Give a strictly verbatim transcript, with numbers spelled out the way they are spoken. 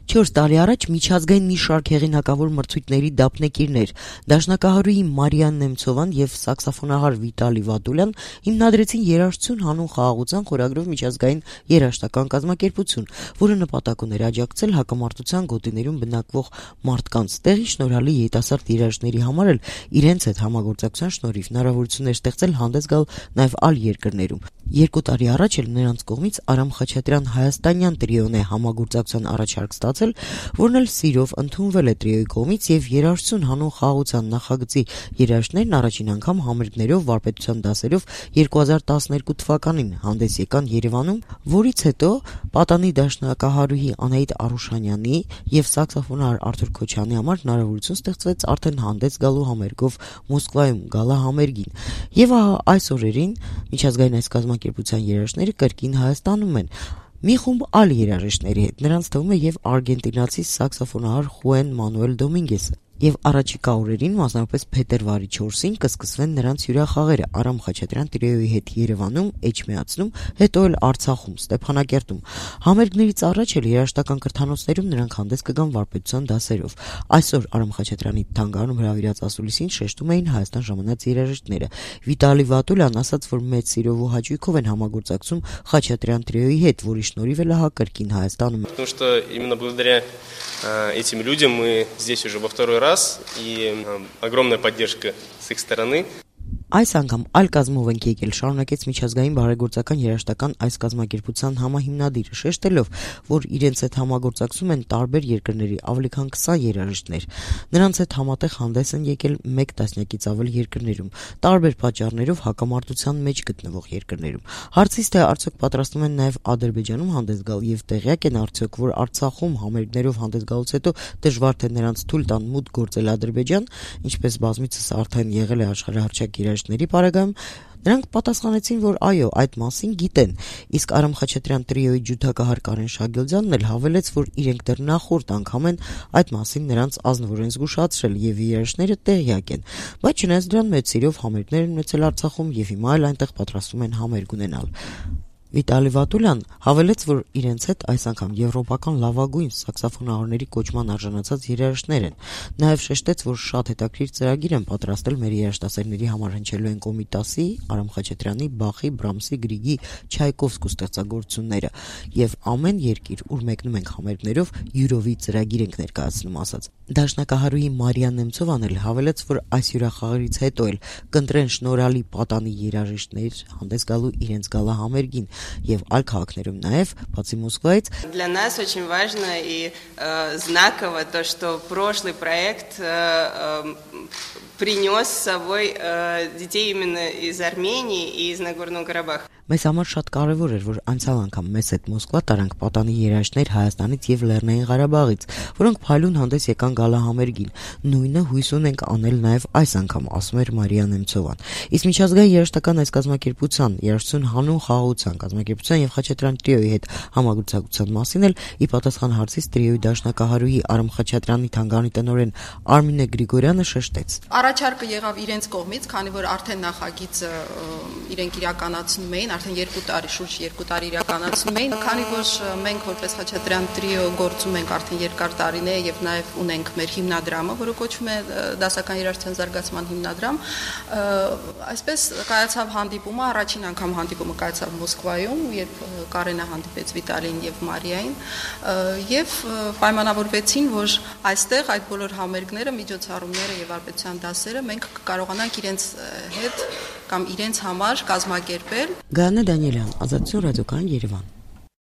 չորս տարի առաջ միջազգային մի շարք հեղինակավոր մրցույթների դափնեկիրներ դաշնակահարուհի Մարիա Նեմցովան եւ սաքսոֆոնահար Վիտալի Վատուլյան հիմնադրեցին երաժշտություն հանուն խաղաղության խորագրով միջազգային երաժշտական կազմակերպություն, որը նպատակ ուներ աջակցել հակամարտության գոտիներում բնակվող մարդկանց, տեղի շնորհալի երիտասարդ երաժիշտների համար էլ իրենց հետ համագործակցության շնորհիվ հնարավորություններ ստեղծել հանդես գալ նաեւ այլ երկրներում։ Երկու տարի առաջ էլ նրանց կողմից Արամ Խաչատրյան հայաստանյան տրիոն է համագործակցության առաջարկ ստացել, որն էլ սիրով ընդունվել է տրիոյի կողմից եւ երաժշտություն հանուն խաղաղության նախագծի երաժիշտներն առաջին անգամ համերգներով վարպետության դասերով երկու հազար տասներկու թվականին հանդես եկան Երևանում, որից հետո պատանի դաշնակահարուհի Անահիտ Արուշանյանի եւ սաքսոֆոնահար Արթուր Քոչյանի համար հնարավորություն ստեղծվեց արդեն հանդես գալու համերգով Մոսկվայում գալա համերգին։ Եվ ահա այս օրերին միջազգային այս կազմակերպության երաժիշտները կրկին Հայաստանում են մի խումբ այլ երաժիշտների հետ, նրանց թվում է եւ արգենտինացի սաքսոֆոնահար Խուեն Մանուել Դոմինգեսը։ Եվ առաջիկա օրերին, մասնավորապես փետրվարի չորսին, կսկսվեն նրանց հյուրախաղերը Արամ Խաչատրյան տրիոյի հետ Երևանում, Էջմիածնում, հետո էլ Արցախում, Ստեփանակերտում։ Համերգներից առաջ էլ երաժշտական կրթանոցներում նրանք հանդես կգան վարպետության դասերով։ Այսօր Արամ Խաչատրյանի թանգարանում հրավիրած ասուլիսին շեշտում էին Հայաստան ժամանած երաժիշտները։ Վիտալի Վատուլյան ասաց, որ մեծ սիրով ու հաճույքով են համագործակցում Խաչատրյան տրիոյի հետ, որի շնորհիվ էլ հա կրկին Հայաստանում։ Потому что именно благодаря этим людям мы здесь уже во второй раз, и огромная поддержка с их стороны. Այս անգամ այլ կազմով ենք եկել, շարունակեց միջազգային բարեգործական երաժշտական այս կազմակերպության համահիմնադիրը, շեշտելով, որ իրենց հետ համագործակցում են տարբեր երկրների ավելի քան քսան երաժիշտներ։ Նրանց հետ համատեղ հանդես են եկել մեկ տասնյակից ավել երկրներում, տարբեր պատճառներով հակամարտության մեջ գտնվող երկրներում։ Հարցից թե արդյոք պատրաստվում են նաև Ադրբեջանում հանդես գալ եւ տեղյակ են արդյոք, որ Արցախում համերգներով հանդես գալուց հետո դժվար թե նրանց թույլ տան մուտք գործել Ադրբեջան, ինչպես բազմիցս արդեն եղել է աշխարհահռչակ երաժիշտների պարագայում, նրանք պատասխանեցին, որ այո, այդ մասին գիտեն, իսկ Արամ Խաչատրյան տրիոյի ջութակահար Կարեն Շագելձյանն էլ հավելեց, որ իրենք դեռ նախորդ անգամ են այդ մասին նրանց ազնվորեն զգուշացրել եւ երաժիշտները տեղյակ են, բայց չնայած դրան մեծ սիրով համերգներ են ունեցել Արցախում եւ հիմա էլ այնտեղ պատրաստվում են համերգ ունենալ։ Վիտալի Վատուլյան հավելեց, որ իրենց հետ այս անգամ եվրոպական լավագույն սաքսոֆոնահարների կոչման արժանացած երաժիշտներ են։ Նաև շեշտեց, որ շատ հետաքրքիր ծրագիր են պատրաստել մեր երաժշտասերների համար, հնչելու են Կոմիտասի, Արամ Խաչատրյանի, Բախի, Բրամսի, Գրիգի, Չայկովսկու ստեղծագործությունները եւ ամեն երկիր, ուր մեկնում ենք համերգներով, յուրովի ծրագիր ենք ներկայացնում, ասաց։ Դաշնակահարուհի Մարիա Նեմցովան էլ հավելեց, որ այս հյուրախաղերից հետո էլ կընտրեն շնորհալի պատանի երաժիշտներ հանդես գալու իրենց գալա համերգին եւ այլ քաղաքներում նաեւ բացի Մոսկվայից։ Для нас очень важно и э, знаково то, что прошлый проект э, э, принес с собой э, детей именно из Армении и из Нагорного Карабаха. Մեզ համար շատ կարևոր էր, որ անցյալ անգամ մեզ հետ Մոսկվա տարանք պատանի երաժիշտներ Հայաստանից եւ Լեռնային Ղարաբաղից, որոնք փայլուն հանդես եկան գալա համերգին։ Նույնը հույս ունենք անել նաեւ այս անգամ, ասում էր Մարիա Նեմցովան։ Իսկ միջազգային երաժշտական այս կազմակերպության երաժշտություն հանուն խաղաղության կազմակերպության եւ Խաչատրյան տրիոյի հետ համագործակցության մասին էլ ի պատասխան հարցից տրիոյի դաշնակահարուհի Արամ Խաչատրյանի թանգարանի տնօրեն Արմինե Գրիգորյանը շեշտեց։ Առաջարկը եղավ իրենց կողմից, քանի որ արդեն նախագիծը իրենք իրականացնում էին, արդեն երկու տարի, շուրջ երկու տարի իրականացնում էին, քանի որ մենք որպես Խաչատրյան տրիո գործում ենք արդեն երկար տարիներ եւ նաեւ ունենք մեր հիմնադրամը, որը կոչվում է դասական երաժշտության զարգացման հիմնադրամ, այսպես կայացավ հանդիպումը, առաջին անգամ հանդիպումը կայացավ Մոսկվայում, երբ Կարենը հանդիպեց Վիտալին եւ Մարիային, եւ պայմանավորվեցին, որ այստեղ այդ բոլոր համերգները, միջոցառումները եւ վարպետության դասերը մենք կկարողանանք իրենց հետ կամ իրենց համար կազմակերպել։ Գայանե Դանիելյան, Ազատություն ռադիոկայան, Երևան։